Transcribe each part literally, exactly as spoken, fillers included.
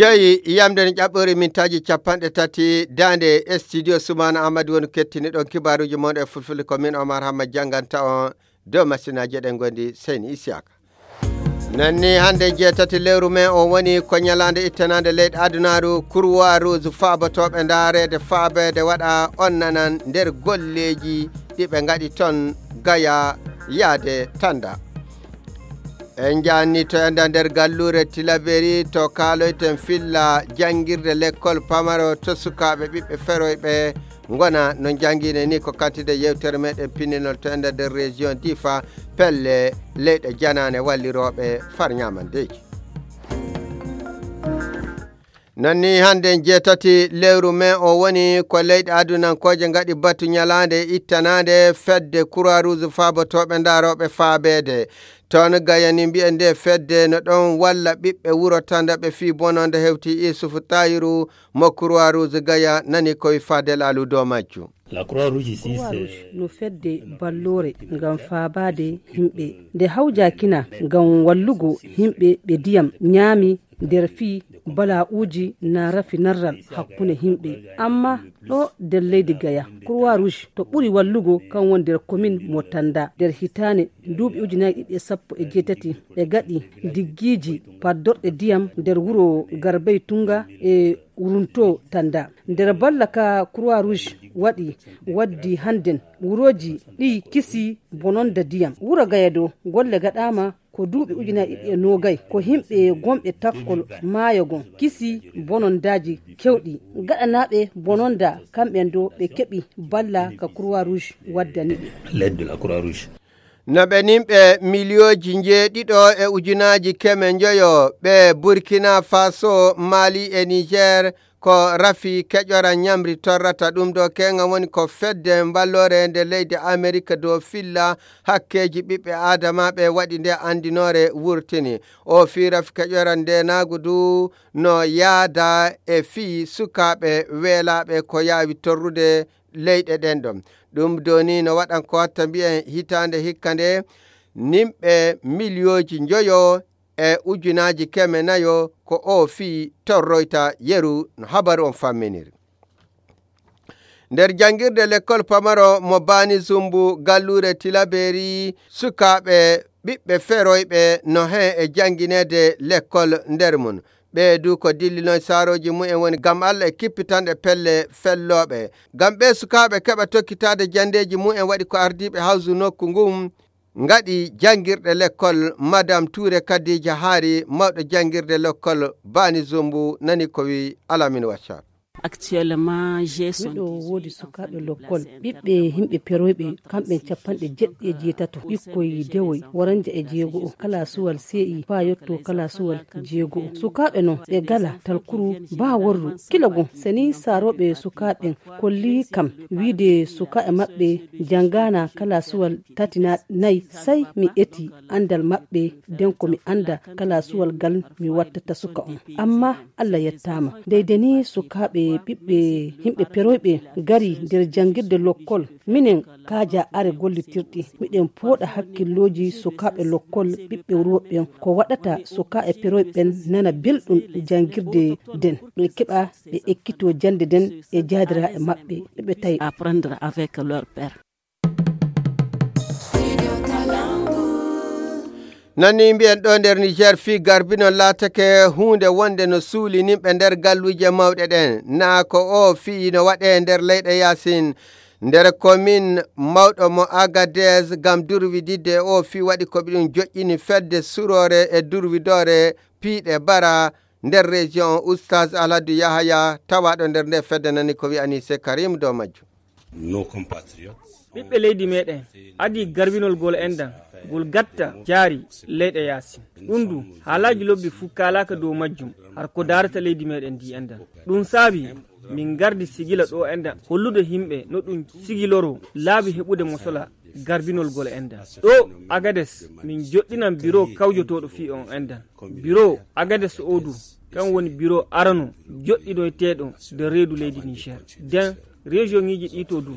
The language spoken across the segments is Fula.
Jeyi yamde no ƴaɓɓori mintaaji capanɗe tati daande e studio Sumaana Ahmad woni kettini ɗon kibaaruuji mon e fulfulde ko min Omar Hamma jannganta on dow masinaaji ɗen gondi Seyni Isiyaka. Nanni hannde jeetati lewru men o woni ko ñalaande ittanaande leyɗe adunaaru Kurwa Rouge faabotooɓe ndaareede faabeede waɗa on nanan nder golleeji ɗi ɓe ngaɗi ton gaya yaade tanda. En njaanni to enda nder galluure Tilaberi to kaaloyten filla janngirde lekkol pamaro to sukaaɓe ɓiɓɓe feroyɓe ngona no njanngine ni ko kantide yewtere meɗen pinninol to enda nder région Difa pelle leyɗe janaane wallirooɓe far ñaamandeeji. Nanni hannde jeetati lewru men o woni ko leyɗe adunankooje ngaɗi batu ñalaande ittanaande fedde Croix Rouge faabotooɓe ndaarooɓe faabeede. Toon gayani mbiyen nde fedde no ɗon walla ɓiɓɓe wuro tanda ɓe fii bononde hewti Isufu Tayiru mo Croix Rouge gaya nani koye Fadel Alu dow majju. La Croix Rouge ici, Croix Rouge no fedde balloore ngam faabaade yimɓe. Nde hawjakina ngam wallugo yimɓe ɓe diyam ñaami nder fii bala'uuji na rafi narral hakkunde yimɓe. Amma ɗo nder leydi Gaya, Croix Rouge to ɓuri wallugo kan woni nder komin mo Tanda. Nder hitaande duuɓi ujunaaji ɗiɗi e sappo e jeetati, ɓe gaɗi diggiiji paddorɗe diyam nder wuro Garbey Tunga e Wurunto Tanda. Nder balla ka Croix Rouge waɗi waddi hannden wurooji ɗi kisi bononda diyam. Wuro Gaya do golle gaɗaama ko duuɓi ujunaaji ɗiɗi e noogay, ko yimɓe gonɓe takkol maayo gon kisi bonondaaji kewɗi. Gaɗanaaɓe bononda kamɓen do ɓe keɓi balla ka Croix Rouge waddani ɓe. L'aide de la Croix Rouge. No ɓe nimɓe miliyooji njeeɗiɗo e ujunaaji keme njoyo ɓe Burkina Faso, Mali e Niger ko rafi keƴora ñamri torrata ɗum ɗo keŋa woni ko fedde mballore nde leydi Amerika dow filla hakkeeji ɓiɓɓe aadama ɓe waɗi nde anndinoore wurtini. O fii rafi keƴora ndenaagu du no yaada e fii sukaaɓe weelaaɓe ko yaawi torrude leyɗe ɗen ɗon. Ɗum doni no waɗan ko watta mbiyen hitaande hikka nde nimɓe miliyooji njoyo e ujunaaji keme nayo ko o fii torroyta yeru no habaru on famminiri. Nder janngirde lekkol pamaro mo Bani Zumbu galluure Tilaberi, sukaaɓe ɓiɓɓe feroyɓe no heen e janngineede lekkol nder mum. Ɓee du ko dillinoy saarooji mumen woni ngam Alla e kippitanɗe pelle fellooɓe. Ngam ɓee sukaaɓe keɓa tokkitaade janndeeji mumen waɗi ko ardiiɓe hawsu nokku ngun ngaɗi janngirɗe lekkol. Madame Touré Kadija Haari, mawɗo janngirde lekkol Bani Zumbu, nani ko wi Alamine Waccar. Actuellement, j'ai miɗo woodi sukaaɓe lokkol ɓiɓɓe yimɓe peroyɓe kamɓe capanɗe jeɗɗi e jeetato ɓikkoy dewoy waranja e jeego o kala suwal see'i faa yotto kala suwal jeego o. Sukaaɓe non ɓe gala talkuru baa worru. Kila gon seni saarooɓe sukaaɓen kolli kam wiide sukaaɓe maɓɓe janngaana kala suwal tati na nay. Sey mi eti anndal maɓɓe, den ko mi annda kala suwal gal mi wattata suka on. Amma Alla yettaama. Dey deni sukaaɓe ɓiɓɓe yimɓe peroyɓe gari nder janngirde lokkol. Minen kaaja are gollitirɗi. Miɗen pooɗa hakkillooji sukaaɓe lokkol ɓiɓɓe wuro ɓen. Ko waɗata sukaaɓe peroyɓe ɓen nana belɗum janngirde den. Ɓe keɓa ɓe ekkitoo jannde den e jaadiraaɓe maɓɓe. Ɓe tawi apprendre avec leur père. Nanni mbiyen ɗo nder Niger fii garbinol laatake huunde wonde no suulinimɓe nder galluuje mawɗe ɗen. Naa ko o fii no waɗee nder leyɗe yaasin. Nder komin mawɗo mo Agadez ngam durwididde e o fii waɗi ko ɓe ɗum joƴƴini fedde suroore e durwidoore piiɗe bara nder région Oustaz Alhadu Yahaya tawaaɗo nder nde fedde nani ko wi'ani se Karim dow majjum. Nos compatriotes. Ɓiɓɓe leydi meɗen adii garbinol gol enɗan ngol gatta jaari leyɗe yaasin. Ɗum du haalaaji lobbi fuu kaalaaka dow majjum har ko daarata leydi meɗen ndi enɗan. Ɗum saabi min ngardi sigila ɗo enɗan hollude yimɓe no ɗum sigiloroo laabi heɓude mosola garbinol gol enɗan. Ɗo Agades min joɗɗinan biro kawjotooɗo fii on enɗan. Biro Agades o du kan woni biro arano joɗɗinoyteeɗo nder reedu leydi Niger. Den regionŋiiji ɗi to du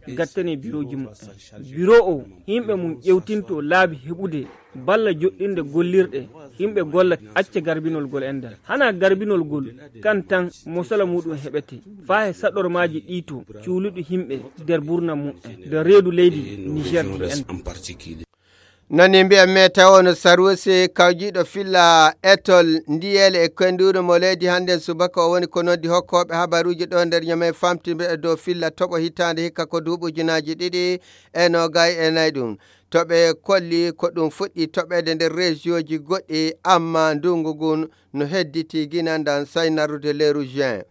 gattani birooji muɓɓen. Biro o yimɓe mum ƴewtinto laabi heɓude balla joɗɗinde gollirɗe Yimɓe golla acca garbinol gol enɗan. Hana garbinol gol kan tan mosala muɗum heɓete. Faa he saɗormaaji ɗii to cuuluɗi yimɓe nder burna mu'en. Nder reedu leydi Niger ndi enɗan. Nani mbiya me tawo no Sarusi kawjiiɗo filla etol ndiyeele e koynduure mo leydi hannde subaka o woni ko noddi hokkooɓe habaruuji ɗo nder ñame famtinde e dow filla toɓo hitaande hikka ko duuɓi ujunaaji ɗiɗi e noogay e nayi ɗum. To ɓe kolli ko ɗum fuɗɗi toɓeede nder reesiyooji goɗɗi, amma ndunngu ngun no hedditi ginandan say narrude leeru juin.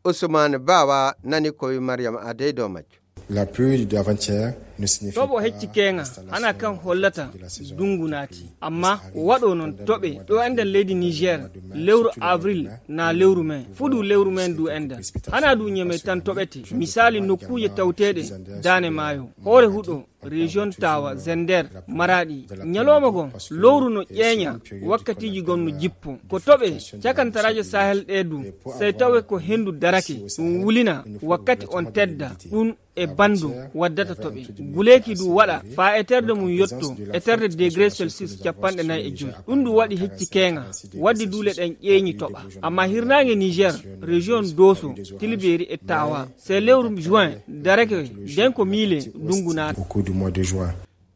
Ousmane Bawa nani ko wi Mariam Adey dow majjo. La pluie d'avant-hier ne signifie toɓo hecci keŋa hana kan hollata dungu naati, amma ko waɗo noon toɓe ɗo enɗan leydi Niger lewru avril na lewru men fuɗu lewru men du enɗan. Hana du ñeme tan toɓete, misali nokkuuje tawteeɗe daane maayo, hoore huɗo, région Tawa, Zender, Maradi. Ñalawma gon lowru no ƴeeña wakkatiiji gon no jippo. Ko toɓe cakantaraaje Sahel ɗe du, sey tawe ko henndu darake, ɗum wulina wakkati on tedda, ɗum e bandu waddata toɓe. Guleeki du waɗa faa eterde mum yotto eterde degré Celsius capanɗe nayi e joy. Ɗum du waɗi hecci keeŋa, waddi duule ɗen ƴeeñi toɓa. Amma hirnaange Niger, région Doso, Tilberi e Tawa, sey lewru juin darake, nden ko miile ndungu naata. Au cours du mois de juin.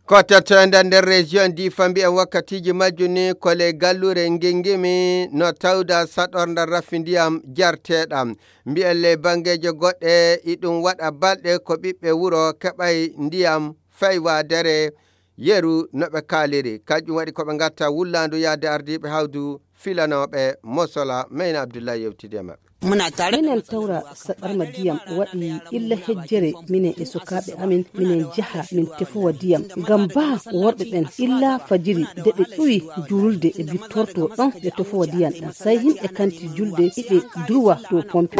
Ko tottoyde nder région Difa mbiyen wakkatiiji majjum ni ko ley galluure Ngingimi no tawda saɗornda rafi ndiyam jarteeɗam. Mbiyen ley banngeeje goɗɗe iɗum waɗa balɗe ko ɓiɓɓe wuro keɓay ndiyam fay waadere yeru no ɓe kaaliri. Kanƴum waɗi ko ɓe ngatta wullaandu yahde ardiiɓe hawdu filanooɓe mosola. Meyna Abdullahi yewtidi e maɓɓe. Minen tawra saɗarma diyam waɗi illa hejjere, minen e sukaaɓe amin, minen njaha min tefowa diyam. Ngam baa worɓe ɓen illa fajiri de ɓe ƴuwi juulde ɓe bittorto ɗon ɓe tefowa diyam ɗam. Say yimɓe kanti julde iɓe durwa dow pompe.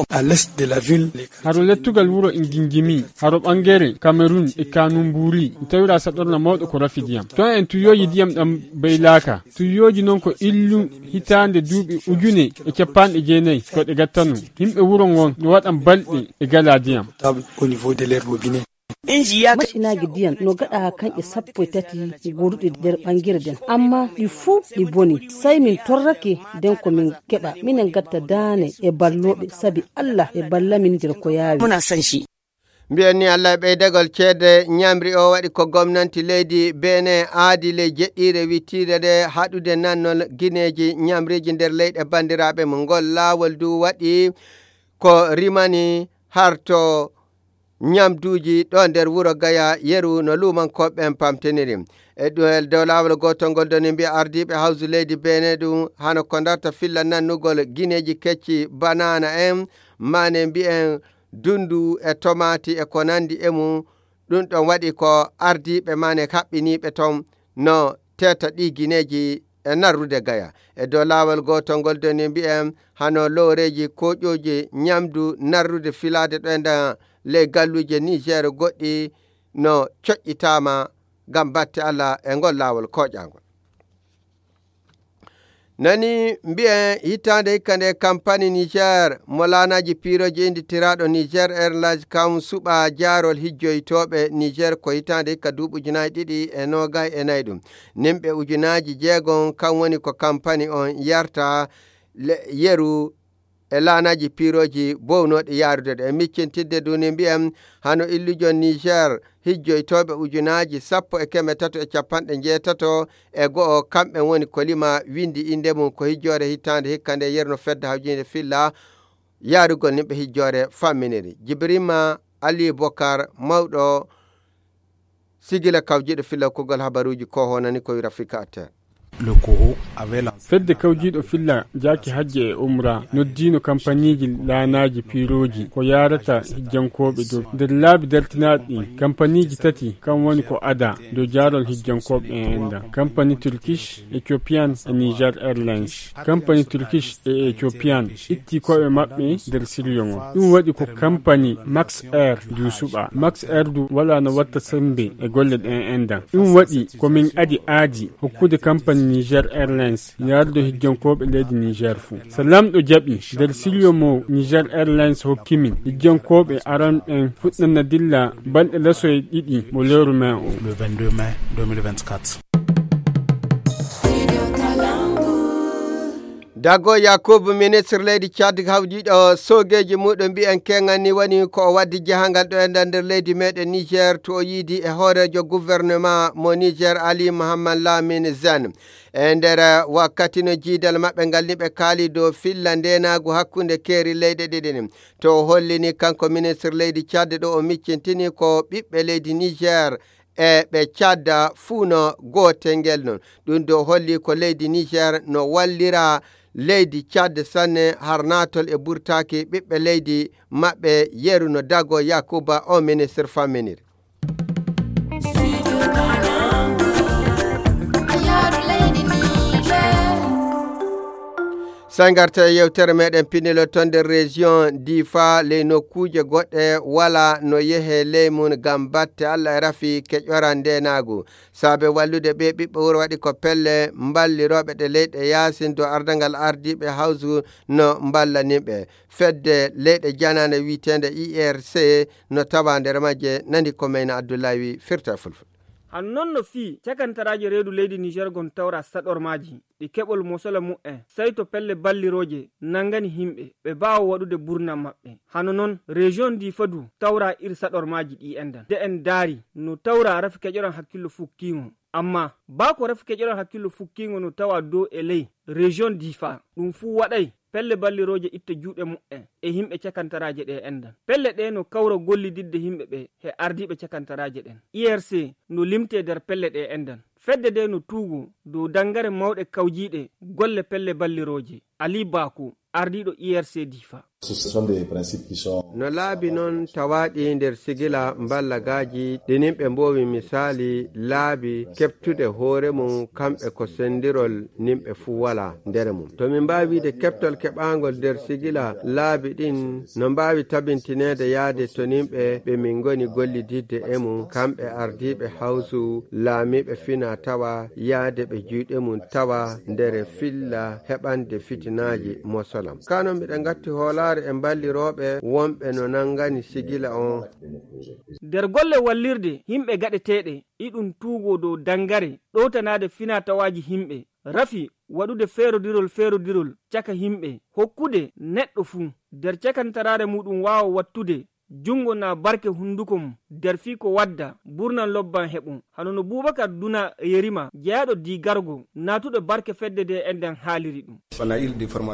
À l'est de la ville. Haro lettugal wuro Ingingimi, haro ɓangere Cameroun e Kanumbuuri, mi tawira saɗorna mawɗo ko rafi diyam. Ton en tuyooji diyam ɗam baylaaka. Tuyooji non ko illu hitaande duuɓi ujune e capanɗe jeenayi ko ɗe gattano. Yimɓe wuro ngon no waɗan balɗe e gala diyam. Au niveau de leur robinet. Macinaaji diyam no gaɗa kanƴe sappo e tati goduɗe nder ɓangere den, amma ɗi fuu ɗi boni. Say min torrake den ko min keɓa, minen gatta daane e ballooɓe, sabi Allah e ballamin nder ko yaawi. Mbiyen ni Allah e ɓeydagol ceede ñamri o waɗi ko gomnanti leydi Benin aadi ley jeɗɗiire wittiire nde haɗude nannol gineeji ñamriiji nder leyɗe banndiraaɓe mum. Ngol laawol du waɗi ko rimani harto ñamduuji ɗo nder wuro Gaya yeru no luumankooɓe ɓen pamtiniri. E ɗo-, e dow laawol gootol ngol doni mbiya ardiiɓe hawsu leydi Benin ɗum hano ko darta filla nannugol gineeji kecci, banana en, mane mbiyen dundu e tomaati e ko nandi e mum. Ɗum ɗon waɗi ko ardiiɓe mane haɓɓiniiɓe ton no teeta ɗi gineeji e narrude Gaya. E dow laawol gootol ngol doni mbiyen hano looreeji koƴooji ñamdu narrude filaade ɗo e nder ley galluuje Niger goɗɗi no coƴƴitaama ngam batte Allah e ngol laawol koƴaangol. Nani mbiyen hitaande hikka nde kampani Niger mo laanaaji piirooji innditiraaɗo Niger Airlines kam suɓa jaarol hijjoytooɓe Niger ko hitaande hikka duuɓi ujunaaji ɗiɗi e noogay e nayi ɗum. Nimɓe ujunaaji jeegom kam woni ko kampani on yarta le-, yeru e laanaaji piirooji bownooɗi yaarude ɗo. E miccintidde duni mbiyen hano illujon Niger hijjoytooɓe ujunaaji sappo e keme tato e capanɗe njeetato e go'o, kamɓe woni ko lima winndi innde mum ko hijjoore hitaande hikka nde yerno fedde hawjiinde filla yaarugol nimɓe hijjoore famminiri. Jibrima Ali Bokar, mawɗo sigila kawjiiɗo filla kuugal habaruuji ko honani ko wira Afrika Atter. Fedde kawjiiɗo filla jaaki hajje e umra noddiino kampaniiji laanaaji piirooji ko yaarata hijjankooɓe dow. Nder laabi dartinaaɗi ɗin, kampaniiji tati kan woni ko ada dow jaarol hijjankooɓe en enɗan. Kampani Turkish, Ethiopian e Niger Airlines. Kampani Turkish e Ethiopian itti ko'e maɓɓe nder siryo ngon. Ɗum waɗi ko kampani Max Air du suɓa. Max Air du wala no watta sembe e golle ɗen enɗan. Ɗum waɗi ko min adi aadi hokkude kampani Niger Airlines yaarude hijjankooɓe leydi Niger fuu. So lamɗo jaɓi, nder siryo mo Niger Airlines hokki min, hijjankooɓe aran ɓen fuɗɗana dilla balɗe lasoye ɗiɗi mo lewru mai o. Le vingt-deux mai deux mille vingt-quatre. Dago Yakubu, ministre leydi Tchad hawdiiɗo soogeeji muɗum mbiyen keŋŋan ni woni ko o waddi jahangal ɗo e nder, nder leydi meɗen Niger, to o yiidi e hooreejo gouvernement mo Niger, Ali Mohamed Lamine Zen. E nder wakkati no jiidal maɓɓe ngal ni ɓe kaali dow filla ndeenaagu hakkunde keeri leyɗe ɗiɗi ɗin. To o hollini kanko ministre leydi Tchad ɗo o miccintini ko ɓiɓɓe leydi Niger e ɓe Tchad fuu no gootel ngel non. Ɗum ɗo holli ko leydi Niger no wallira leydi Tchad sanne har naatol e burtaaki ɓiɓɓe leydi maɓɓe yeru no Dago Yakuba o ministre famminiri. Sangarta e yewtere meɗen pinilo ton nder région Difa, ley nokkuuje goɗɗe wala no yehe ley mun ngam batte Allah e rafi keƴoran ndenaagu. Saabe wallude ɓe ɓiɓɓe wuro waɗi ko pelle mballirooɓe ɗe leyɗe yaasin dow ardangal ardiiɓe hawsu no mballaniɓe. Fedde leyɗe janaane wi'eteende I R C no tawa nder majje, nani ko Meyna Abdullahi wi firta e fulfulde. Hano non no fii cakantaraaje reedu leydi Niger gon tawra saɗormaaji ɗi keɓol mosola mu'en, sayto pelle ballirooje nangani himɓe ɓe baawa waɗude burna maɓɓe. Hano non, région Difa du tawra ir saɗormaaji ɗi endan. De en daari, no tawra rafi keƴoran hakkillo fukkiingo. Amma, baa ko rafi keƴoran hakkillo fukkiingo no tawa dow e ley, région Difa, ɗum fuu waɗay pelle ballirooje itta juuɗe mu'en e himɓe cakantaraaje ɗe endan. Pelle ɗe no kawra gollididde himɓe ɓe he ardiiɓe cakantaraaje ɗen. I R C no limtee nder pelle ɗe endan. Fedde de no tuugo dow dangare mawɗe kawjiiɗe golle pelle ballirooje. Ali Bako, ardiiɗo I R C Difa. Ce sont des principes qui sont... No laabi non tawaaɗi nder sigila mballagaaji ɗi nimɓe mboowi misaali laabi keɓtude hoore mum kamɓe ko sendirol nimɓe fuu wala nder mum. To min mbaawi wi'ude keɓtol keɓaangol nder sigila laabi ɗin no mbaawi tabintineede yaade to nimɓe ɓe min ngoni gollididde e mum, kamɓe ardiiɓe hawsu laamiiɓe fina tawa yaade ɓe juuɗe mum tawa nder filla heɓande fitinaaji mosolam. Kano miɗen ngatti hoolaare e mballirooɓe wonɓe no nangani sigila on. Nder golle wallirde himɓe gaɗeteeɗe, iɗum tuugo dow dangare ɗowtanaade finaa-tawaaji himɓe, rafi waɗude feerodirol feerodirol caka himɓe, hokkude neɗɗo fuu nder cakantaraare muɗum waawa wattude junngo naa barke hunnduko mum nder fii ko wadda burnan lobban heɓo. Hano no Bubakar Duna Yerima, jeyaaɗo Digargo, naatuɗo barke fedde de enɗan haaliri ɗum.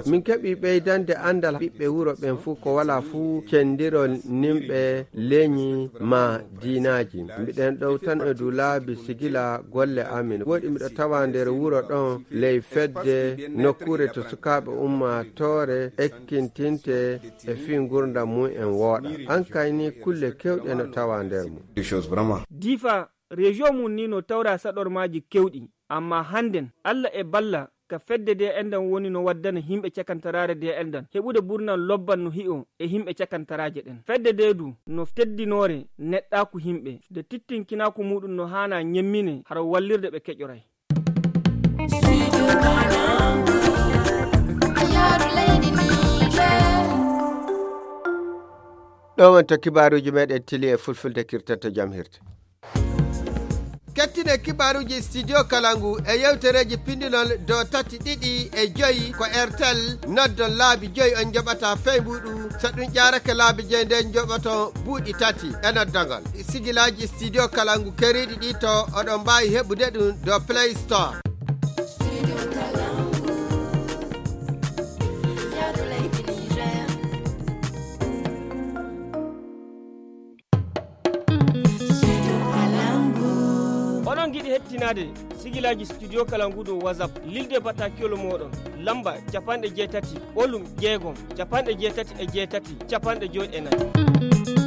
Min keɓi ɓeydande anndal ɓiɓɓe wuro ɓen fuu ko walaa fuu cendirol nimɓe leñi maa diinaaji. Mbiɗen ɗowtan e dow laabi sigila golle amin. Woɗi miɗo tawa nder wuro ɗon ley fedde nokkuure to sukaaɓe ummaatoore ekkintinte e fii ngurndan mum en wooɗa. An kay ni kulle kewɗe no tawa nder mum. Difa, région mum ni no tawra saɗormaaji kewɗi, amma hannden Alla e balla ka fedde de enɗan woni no waddana himɓe cakantaraare de enɗan heɓude burnan lobban no hi'o e himɓe cakantaraaje ɗen. Fedde de du no teddinoore neɗɗaaku himɓe, de tittinkinaaku muɗum no haana ñemmine hara wallirde ɓe keƴoray. Ɗo wonto kibaaruuji meɗen tili e fulfulde kirtanto jam hirde. Kettine kibaaruuji Studio Kalangu e yewtereeji pindinol dow tati ɗiɗi e joyi ko Airtel. Noddon laabi joyi on njoɓata fey mbuuɗu. So ɗum ƴaarake laabi joyi nden njoɓoton buuɗi tati e noddagol. Sigilaaji Studio Kalangu keriiɗi ɗi to oɗon mbaawi heɓude ɗum dow Play Store. Oɗon ngiɗi hettinaade sigilaaji Studio Kalangu dow WhatsApp, lilde bataakiwol mooɗon, lamba capanɗe jeetati, ɓolum jeegom, capanɗe jeetati e jeetati, capanɗe joy e nayi.